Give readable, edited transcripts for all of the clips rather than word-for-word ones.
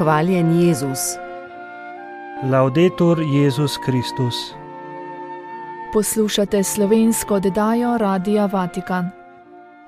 Hvaljen Jezus. Laudetur Jezus Kristus. Poslušate slovensko oddajo Radia Vatikan.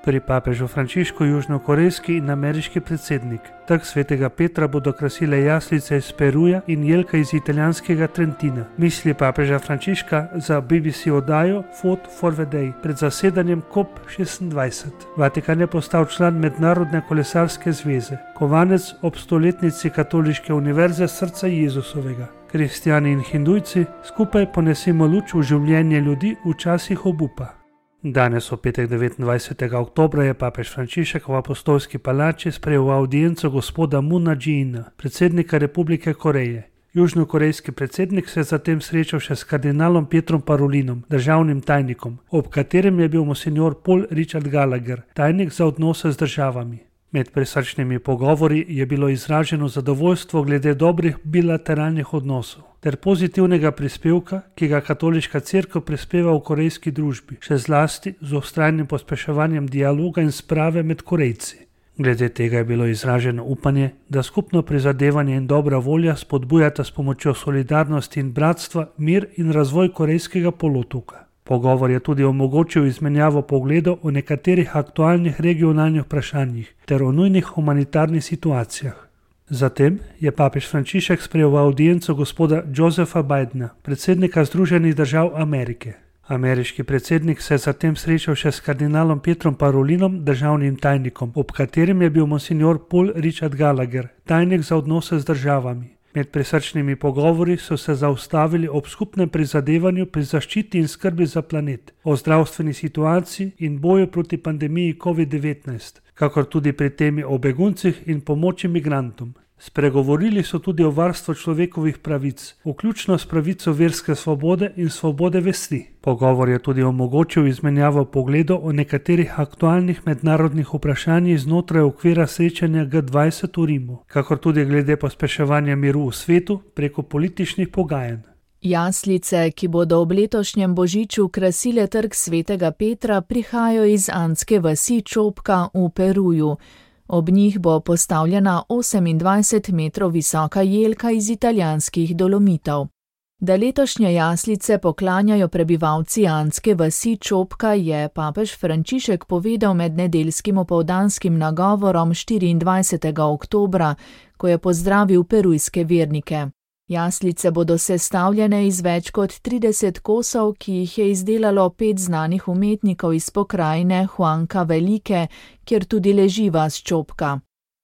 Pri papežu Frančišku južnokorejski in ameriški predsednik. Trg svetega Petra bodo krasile jaslice iz Peruja in jelka iz italijanskega Trentina. Misli papeža Frančiška za BBC oddajo Food for the Day pred zasedanjem COP26. Vatikan je postal član Mednarodne kolesarske zveze, kovanec ob stoletnici Katoliške univerze srca Jezusovega. Kristjani in hindujci skupaj ponesimo luč v življenje ljudi v časih obupa. Danes, v petek 29. oktobra, je papež Frančišek v apostolski palači sprejel audienco gospoda Moona Jae-ина, predsednika Republike Koreje. Južnokorejski predsednik se je zatem srečal še s kardinalom Pietrom Parolinom, državnim tajnikom, ob katerem je bil monsignor Paul Richard Gallagher, tajnik za odnose z državami. Med prisrčnimi pogovori je bilo izraženo zadovoljstvo glede dobrih bilateralnih odnosov ter pozitivnega prispevka, ki ga katoliška cerkev prispeva v korejski družbi, še zlasti z vztrajnim pospeševanjem dialoga in sprave med Korejci. Glede tega je bilo izraženo upanje, da skupno prizadevanje in dobra volja spodbujata s pomočjo solidarnosti in bratstva mir in razvoj korejskega polotoka. Pogovor je tudi omogočil izmenjavo pogledov o nekaterih aktualnih regionalnih vprašanjih ter o nujnih humanitarnih situacijah. Zatem je papež Frančišek sprejel v audienco gospoda Josepha Bidena, predsednika Združenih držav Amerike. Ameriški predsednik se je zatem srečal še s kardinalom Pietrom Parolinom, državnim tajnikom, ob katerem je bil monsignor Paul Richard Gallagher, tajnik za odnose z državami. Med prisrčnimi pogovori so se zaustavili ob skupnem prizadevanju pri zaščiti in skrbi za planet, o zdravstveni situaciji in boju proti pandemiji COVID-19, kakor tudi pri temi o beguncih in pomoči migrantom. Spregovorili so tudi o varstvu človekovih pravic, vključno s pravico verske svobode in svobode vesti. Pogovor je tudi omogočil izmenjavo pogledov o nekaterih aktualnih mednarodnih vprašanjih znotraj okvira srečanja G20 v Rimu, kakor tudi glede pospeševanja miru v svetu preko političnih pogajanj. Jaslice, ki bodo ob letošnjem božiču krasile trg svetega Petra, prihajajo iz andske vasi Čopka v Peruju. Ob njih bo postavljena 28 metrov visoka jelka iz italijanskih Dolomitov. Da letošnje jaslice poklanjajo prebivalci andske vasi Čopka, je papež Frančišek povedal med nedeljskim opoldanskim nagovorom 24. oktobra, ko je pozdravil perujske vernike. Jaslice bodo sestavljene iz več kot 30 kosov, ki jih je izdelalo 5 znanih umetnikov iz pokrajine Huanca Velike, kjer tudi leži vas Čopka.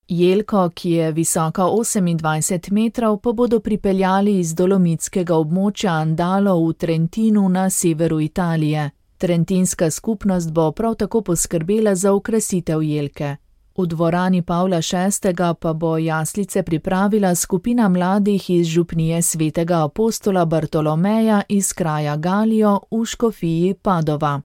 Jelko, ki je visoka 28 metrov, pa bodo pripeljali iz dolomitskega območja Andalo v Trentinu na severu Italije. Trentinska skupnost bo prav tako poskrbela za okrasitev jelke. V dvorani Pavla VI. Pa bo jaslice pripravila skupina mladih iz župnije svetega apostola Bartolomeja iz kraja Galijo v škofiji Padova.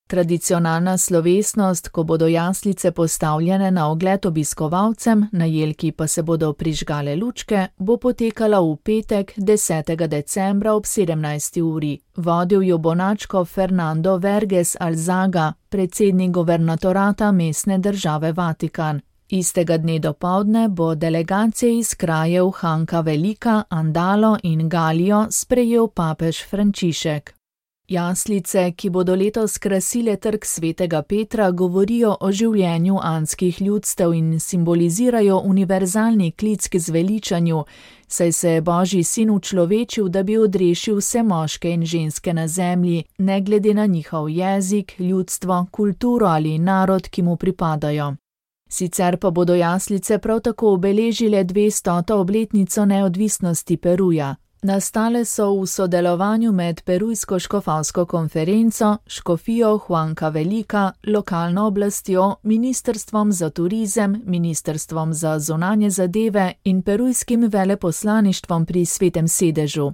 Tradicionalna slovesnost, ko bodo jaslice postavljene na ogled obiskovalcem, na jelki pa se bodo prižgale lučke, bo potekala v petek 10. decembra ob 17. uri. Vodil jo bo nadškof Fernando Verges Alzaga, predsednik guvernatorata mestne države Vatikan. Istega dne dopoldne bo delegacije iz krajev Huanca Velika, Andalo in Galijo sprejel papež Frančišek. Jaslice, ki bodo letos krasile trg svetega Petra, govorijo o življenju andskih ljudstev in simbolizirajo univerzalni klic k zveličanju, saj se je Božji sin učlovečil, da bi odrešil vse moške in ženske na zemlji, ne glede na njihov jezik, ljudstvo, kulturo ali narod, ki mu pripadajo. Sicer pa bodo jaslice prav tako obeležile 200. obletnico neodvisnosti Peruja. Nastale so v sodelovanju med Perujsko škofovsko konferenco, škofijo Huanca Velika, lokalno oblastjo, ministrstvom za turizem, ministrstvom za zunanje zadeve in perujskim veleposlaništvom pri Svetem sedežu.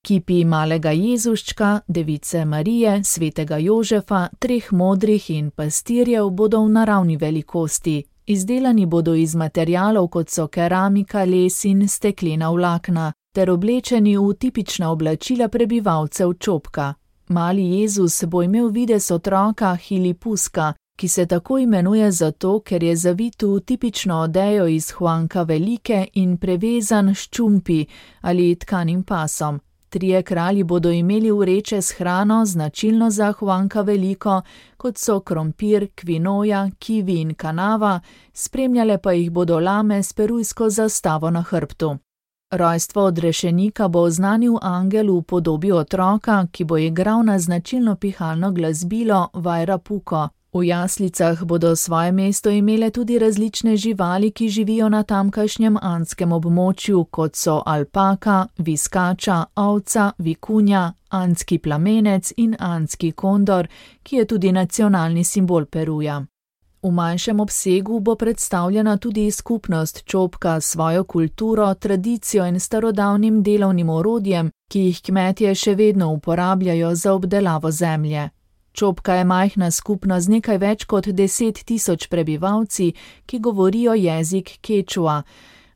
Kipi malega Jezuščka, Device Marije, svetega Jožefa, 3 modrih in pastirjev bodo v naravni velikosti. Izdelani bodo iz materialov, kot so keramika, les in steklena vlakna, ter oblečeni v tipična oblačila prebivalcev Čopka. Mali Jezus bo imel videz otroka Hilipuska, ki se tako imenuje zato, ker je zavit v tipično odejo iz Huanka Velike in prevezan s čumpi ali tkanim pasom. 3 kralji bodo imeli vreče s hrano, značilno za Huanka Veliko, kot so krompir, kvinoja, kivi in kanava, spremljale pa jih bodo lame s perujsko zastavo na hrbtu. Rojstvo odrešenika bo oznanil angel v podobi otroka, ki bo igral na značilno pihalno glasbilo Vajrapuko. V jaslicah bodo svoje mesto imele tudi različne živali, ki živijo na tamkajšnjem andskem območju, kot so alpaka, viskača, ovca, vikunja, andski plamenec in andski kondor, ki je tudi nacionalni simbol Peruja. V manjšem obsegu bo predstavljena tudi skupnost čopka s svojo kulturo, tradicijo in starodavnim delovnim orodjem, ki jih kmetje še vedno uporabljajo za obdelavo zemlje. Čopka je majhna skupnost z nekaj več kot 10.000 prebivalci, ki govorijo jezik kečua.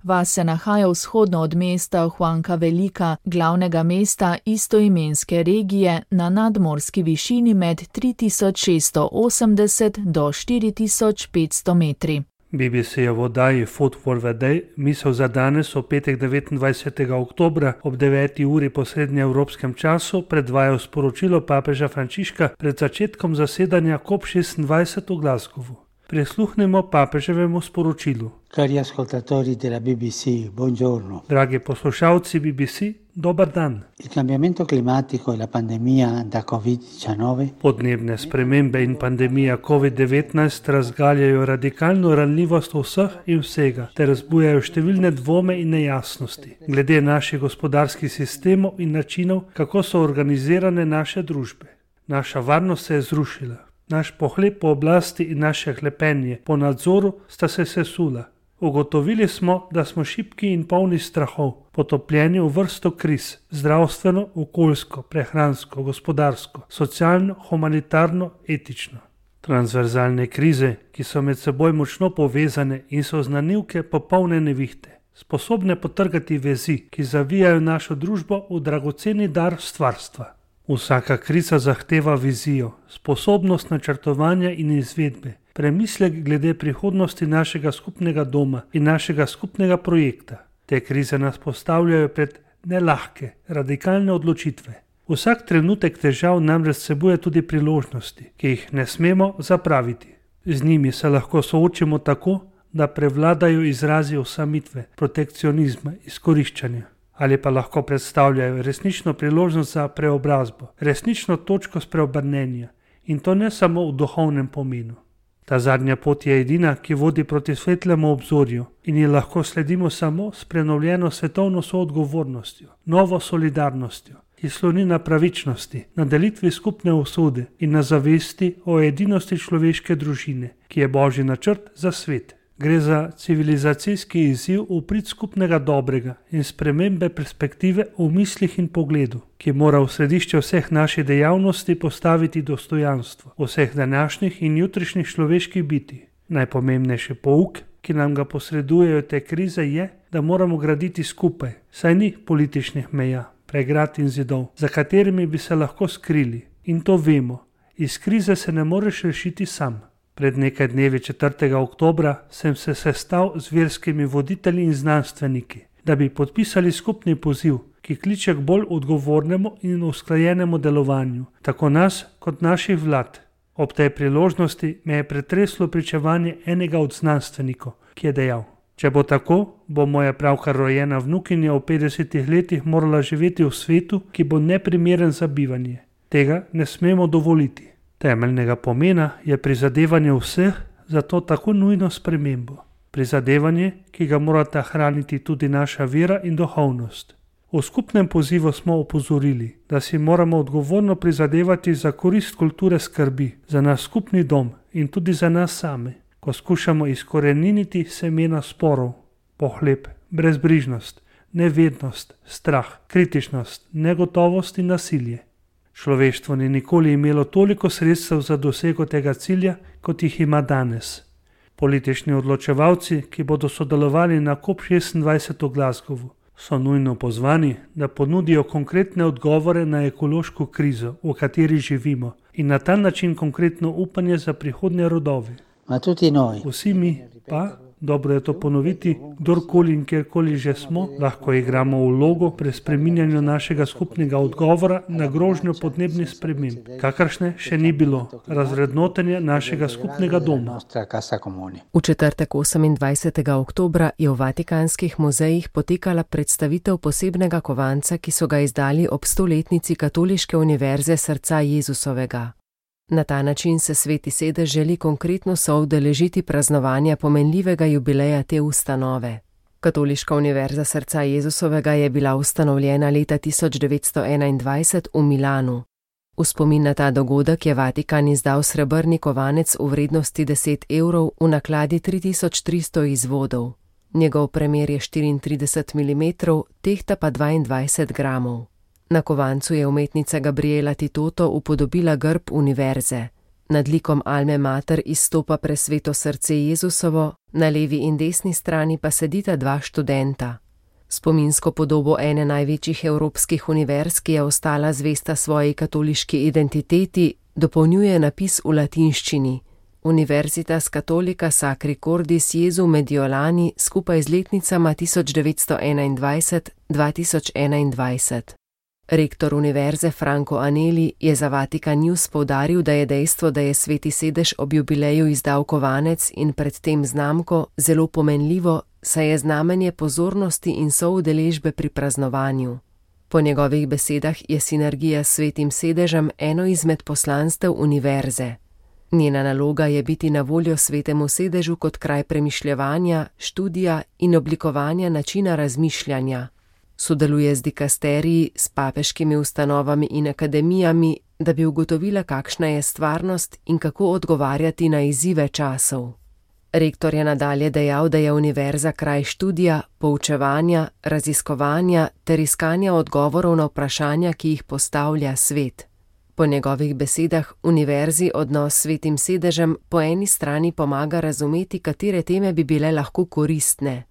Vas se nahaja vzhodno od mesta Huanka Velika, glavnega mesta istoimenske regije, na nadmorski višini med 3680 do 4500 metri. BBC je v oddaji Food for the Day misel za danes, v petek 29. oktobra ob 9. uri po srednjeevropskem času, predvajal sporočilo papeža Frančiška pred začetkom zasedanja COP26 v Glasgowu. Prisluhnemo papeževemu sporočilu. Cari ascoltatori della BBC, buongiorno. Dragi poslušalci BBC, dober dan. Il cambiamento climatico e la pandemia da Covid-19 Podnebne spremembe in pandemija COVID-19 razgaljajo radikalno ranljivost vseh in vsega ter razbujajo številne dvome in nejasnosti glede naših gospodarskih sistemov in načinov, kako so organizirane naše družbe. Naša varnost se je zrušila. Naš pohlep po oblasti in naše hlepenje po nadzoru sta se sesula. Ugotovili smo, da smo šibki in polni strahov, potopljeni v vrsto kriz, zdravstveno, okoljsko, prehransko, gospodarsko, socialno, humanitarno, etično. Transverzalne krize, ki so med seboj močno povezane in so znanilke popolne nevihte, sposobne potrgati vezi, ki zavijajo našo družbo v dragoceni dar stvarstva. Vsaka kriza zahteva vizijo, sposobnost načrtovanja in izvedbe, premislek glede prihodnosti našega skupnega doma in našega skupnega projekta. Te krize nas postavljajo pred nelahke, radikalne odločitve. Vsak trenutek težav namreč vsebuje tudi priložnosti, ki jih ne smemo zapraviti. Z njimi se lahko soočimo tako, da prevladajo izrazi osamitve, protekcionizma, izkoriščanja. Ali pa lahko predstavljajo resnično priložnost za preobrazbo, resnično točko spreobrnenja, in to ne samo v duhovnem pomenu. Ta zadnja pot je edina, ki vodi proti svetlemu obzorju in ji lahko sledimo samo s prenovljeno svetovno soodgovornostjo, novo solidarnostjo, ki sloni na pravičnosti, na delitvi skupne usode in na zavesti o edinosti človeške družine, ki je božji načrt za svet. Gre za civilizacijski izziv v prid skupnega dobrega in spremembe perspektive v mislih in pogledu, ki mora v središče vseh naših dejavnosti postaviti dostojanstvo vseh današnjih in jutrišnjih človeških bitij. Najpomembnejši pouk, ki nam ga posredujejo te krize, je, da moramo graditi skupaj, saj ni političnih meja, pregrad in zidov, za katerimi bi se lahko skrili. In to vemo, iz krize se ne moreš rešiti sam. Pred nekaj dnevi 4. oktobra sem se sestal z verskimi voditelji in znanstveniki, da bi podpisali skupni poziv, ki kliče k bolj odgovornemu in usklajenemu delovanju, tako nas kot naših vlad. Ob tej priložnosti me je pretreslo pričevanje enega od znanstvenikov, ki je dejal: če bo tako, bo moja pravkar rojena vnukinja v 50 letih morala živeti v svetu, ki bo neprimeren za bivanje. Tega ne smemo dovoliti. Temeljnega pomena je prizadevanje vseh za to tako nujno spremembo. Prizadevanje, ki ga morata hraniti tudi naša vera in duhovnost. V skupnem pozivu smo opozorili, da si moramo odgovorno prizadevati za korist kulture skrbi, za naš skupni dom in tudi za nas same, ko skušamo izkoreniniti semena sporov, pohlep, brezbrižnost, nevednost, strah, kritičnost, negotovost in nasilje. Človeštvo ni nikoli imelo toliko sredstev za dosego tega cilja, kot jih ima danes. Politični odločevalci, ki bodo sodelovali na COP26 v Glasgowu, so nujno pozvani, da ponudijo konkretne odgovore na ekološko krizo, v kateri živimo, in na ta način konkretno upanje za prihodnje rodove. Ma tutti noi, Vsi mi pa, dobro je to ponoviti, kdorkoli in kjerkoli že smo, lahko igramo vlogo pri spreminjanju našega skupnega odgovora na grožnjo podnebnih sprememb, kakršne še ni bilo, razvrednotenje našega skupnega doma. nostra casa comune. V četrtek 28. oktobra je v Vatikanskih muzejih potekala predstavitev posebnega kovanca, ki so ga izdali ob 100-letnici Katoliške univerze Srca Jezusovega. Na ta način se Sveti sedež želi konkretno soudeležiti praznovanja pomenljivega jubileja te ustanove. Katoliška univerza Srca Jezusovega je bila ustanovljena leta 1921 v Milanu. V spomin na ta dogodek je Vatikan izdal srebrni kovanec v vrednosti 10 evrov v nakladi 3300 izvodov. Njegov premer je 34 mm, tehta pa 22 gramov. Na kovancu je umetnica Gabriela Titoto upodobila grb univerze. Nad likom Alme Mater izstopa presveto srce Jezusovo, na levi in desni strani pa sedita dva študenta. Spominsko podobo ene največjih evropskih univerz, ki je ostala zvesta svoji katoliški identiteti, dopolnjuje napis v latinščini: Universitas Catholica Sacri Cordis Jesu Mediolani skupaj z letnicama 1921-2021. Rektor univerze Franco Aneli je za Vatikan News poudaril, da je dejstvo, da je Sveti sedež ob jubileju izdal kovanec in predtem znamko, zelo pomenljivo, saj je znamenje pozornosti in soudeležbe pri praznovanju. Po njegovih besedah je sinergija s Svetim sedežem eno izmed poslanstev univerze. Njena naloga je biti na voljo Svetemu sedežu kot kraj premišljevanja, študija in oblikovanja načina razmišljanja. Sodeluje z dikasteriji, s papeškimi ustanovami in akademijami, da bi ugotovila, kakšna je stvarnost in kako odgovarjati na izzive časov. Rektor je nadalje dejal, da je univerza kraj študija, poučevanja, raziskovanja ter iskanja odgovorov na vprašanja, ki jih postavlja svet. Po njegovih besedah univerzi odnos s Svetim sedežem po eni strani pomaga razumeti, katere teme bi bile lahko koristne.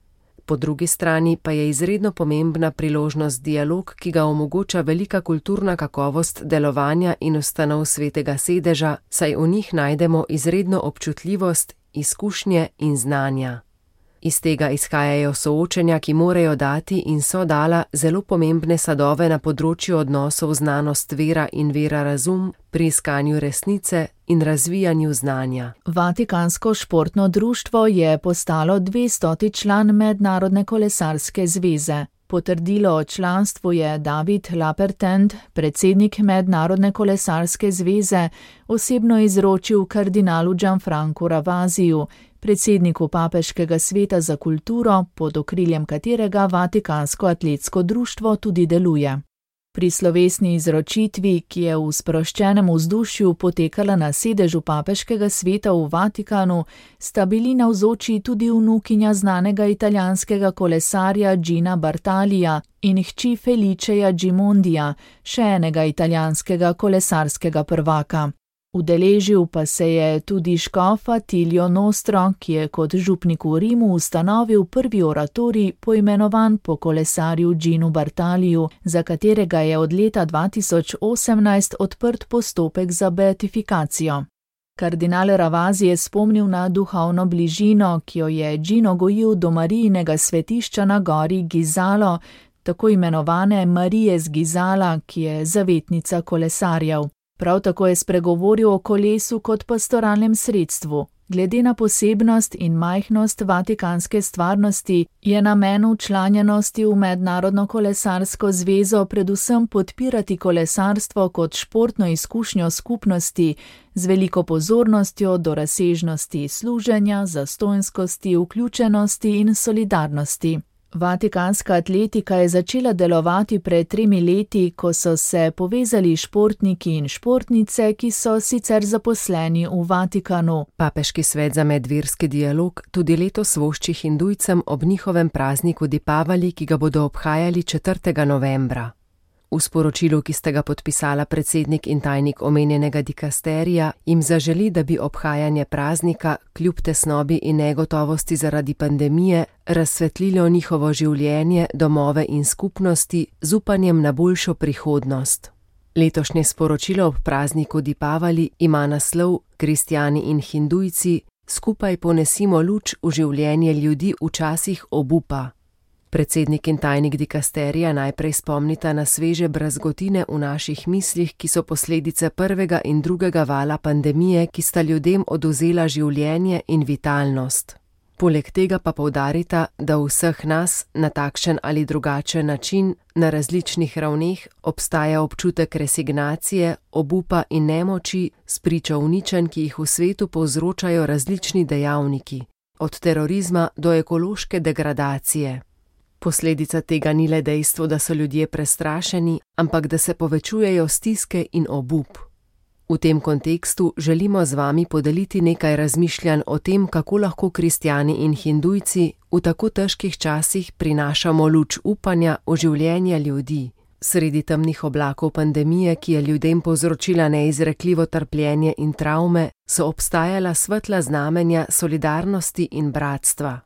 Po drugi strani pa je izredno pomembna priložnost dialog, ki ga omogoča velika kulturna kakovost delovanja in ustanov Svetega sedeža, saj v njih najdemo izredno občutljivost, izkušnje in znanja. Iz tega izhajajo soočenja, ki morajo dati in so dala zelo pomembne sadove na področju odnosov znanost vera in vera razum pri iskanju resnice in razvijanju znanja. Vatikansko športno društvo je postalo 200. član Mednarodne kolesarske zveze. Potrdilo o članstvu je David Lapertend, predsednik Mednarodne kolesarske zveze, osebno izročil kardinalu Gianfrancu Ravasiju, predsedniku Papeškega sveta za kulturo, pod okriljem katerega Vatikansko atletsko društvo tudi deluje. Pri slovesni izročitvi, ki je v sproščenem vzdušju potekala na sedežu Papeškega sveta v Vatikanu, sta bili navzoči tudi vnukinja znanega italijanskega kolesarja Gina Bartalija in hči Feliceja Gimondija, še enega italijanskega kolesarskega prvaka. Udeležil pa se je tudi škof Attilio Nostro, ki je kot župnik v Rimu ustanovil prvi oratorij, poimenovan po kolesarju Ginu Bartaliju, za katerega je od leta 2018 odprt postopek za beatifikacijo. Kardinal Ravasi je spomnil na duhovno bližino, ki jo je Gino gojil do Marijinega svetišča na gori Gizalo, tako imenovane Marije z Gizala, ki je zavetnica kolesarjev. Prav tako je spregovoril o kolesu kot pastoralnem sredstvu. Glede na posebnost in majhnost vatikanske stvarnosti je namen včlanjenosti v Mednarodno kolesarsko zvezo predvsem podpirati kolesarstvo kot športno izkušnjo skupnosti z veliko pozornostjo do razsežnosti služenja, zastonjskosti, vključenosti in solidarnosti. Vatikanska atletika je začela delovati pred 3 leti, ko so se povezali športniki in športnice, ki so sicer zaposleni v Vatikanu. Papeški svet za medverski dialog tudi letos vošči Hindujcem ob njihovem prazniku Dipavali, ki ga bodo obhajali 4. novembra. V sporočilu, ki sta ga podpisala predsednik in tajnik omenjenega dikasterija, jim zaželi, da bi obhajanje praznika, kljub tesnobi in negotovosti zaradi pandemije, razsvetlilo njihovo življenje, domove in skupnosti z upanjem na boljšo prihodnost. Letošnje sporočilo ob prazniku Dipavali ima naslov Kristjani in Hindujci, skupaj ponesimo luč v življenje ljudi v časih obupa. Predsednik in tajnik dikasterija najprej spomnita na sveže brazgotine v naših mislih, ki so posledice prvega in drugega vala pandemije, ki sta ljudem odvzela življenje in vitalnost. Poleg tega pa poudarita, da v vseh nas na takšen ali drugačen način, na različnih ravneh, obstaja občutek resignacije, obupa in nemoči spričo uničenj, ki jih v svetu povzročajo različni dejavniki, od terorizma do ekološke degradacije. Posledica tega ni le dejstvo, da so ljudje prestrašeni, ampak da se povečujejo stiske in obup. V tem kontekstu želimo z vami podeliti nekaj razmišljanj o tem, kako lahko kristjani in hindujci v tako težkih časih prinašamo luč upanja v življenje ljudi. Sredi temnih oblakov pandemije, ki je ljudem povzročila neizrekljivo trpljenje in travme, so obstajala svetla znamenja solidarnosti in bratstva.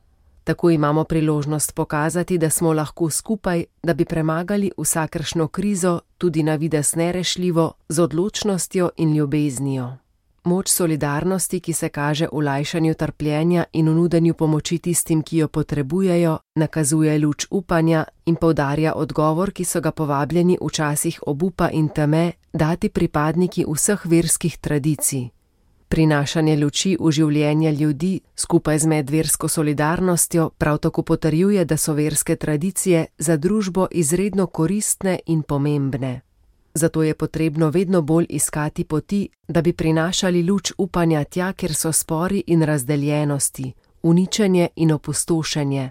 Tako imamo priložnost pokazati, da smo lahko skupaj, da bi premagali vsakršno krizo, tudi na videz nerešljivo, z odločnostjo in ljubeznijo. Moč solidarnosti, ki se kaže v lajšanju trpljenja in v nudenju pomoči tistim, ki jo potrebujejo, nakazuje luč upanja in poudarja odgovor, ki so ga povabljeni v časih obupa in teme dati pripadniki vseh verskih tradicij. Prinašanje luči v življenje ljudi skupaj z medversko solidarnostjo prav tako potrjuje, da so verske tradicije za družbo izredno koristne in pomembne. Zato je potrebno vedno bolj iskati poti, da bi prinašali luč upanja tja, kjer so spori in razdeljenosti, uničenje in opustošenje,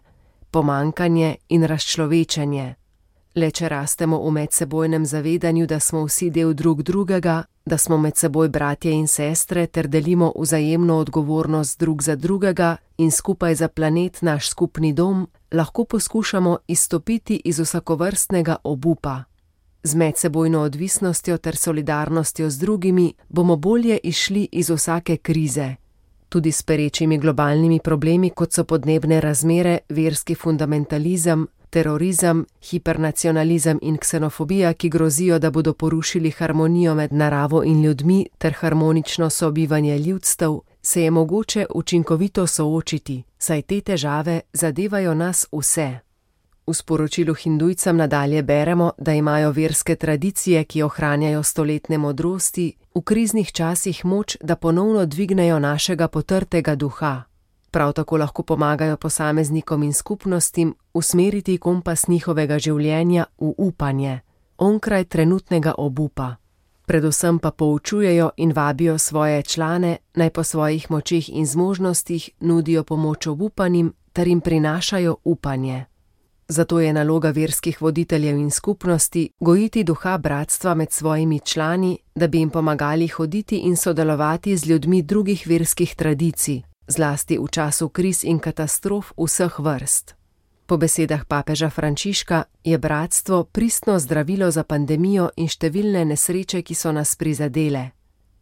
pomanjkanje in razčlovečenje. Le če rastemo v medsebojnem zavedanju, da smo vsi del drug drugega, da smo med seboj bratje in sestre ter delimo vzajemno odgovornost drug za drugega in skupaj za planet naš skupni dom, lahko poskušamo izstopiti iz vsakovrstnega obupa. Z medsebojno odvisnostjo ter solidarnostjo z drugimi bomo bolje izšli iz vsake krize. Tudi s perečimi globalnimi problemi, kot so podnebne razmere, verski fundamentalizem, terorizem, hipernacionalizem in ksenofobija, ki grozijo, da bodo porušili harmonijo med naravo in ljudmi ter harmonično sobivanje ljudstev, se je mogoče učinkovito soočiti, saj te težave zadevajo nas vse. V sporočilu Hindujcem nadalje beremo, da imajo verske tradicije, ki ohranjajo stoletne modrosti, v kriznih časih moč, da ponovno dvignejo našega potrtega duha. Prav tako lahko pomagajo posameznikom in skupnostim usmeriti kompas njihovega življenja v upanje, onkraj trenutnega obupa. Predvsem pa poučujejo in vabijo svoje člane, naj po svojih močeh in zmožnostih nudijo pomoč obupanim ter jim prinašajo upanje. Zato je naloga verskih voditeljev in skupnosti gojiti duha bratstva med svojimi člani, da bi jim pomagali hoditi in sodelovati z ljudmi drugih verskih tradicij, zlasti v času kriz in katastrof vseh vrst. Po besedah papeža Frančiška je bratstvo pristno zdravilo za pandemijo in številne nesreče, ki so nas prizadele.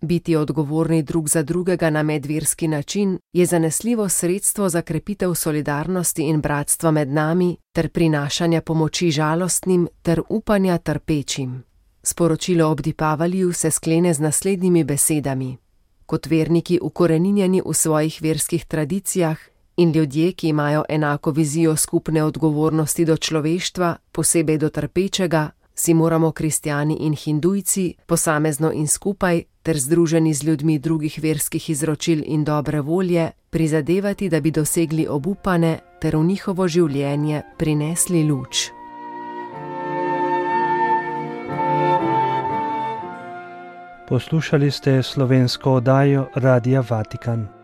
Biti odgovorni drug za drugega na medverski način je zanesljivo sredstvo za krepitev solidarnosti in bratstva med nami ter prinašanja pomoči žalostnim ter upanja trpečim. Sporočilo ob Dipavaliju se sklene z naslednjimi besedami. Kot verniki ukoreninjeni v svojih verskih tradicijah in ljudje, ki imajo enako vizijo skupne odgovornosti do človeštva, posebej do trpečega, si moramo kristjani in hindujci, posamezno in skupaj, ter združeni z ljudmi drugih verskih izročil in dobre volje, prizadevati, da bi dosegli obupane ter v njihovo življenje prinesli luč. Poslušali ste slovensko oddajo Radia Vatikan.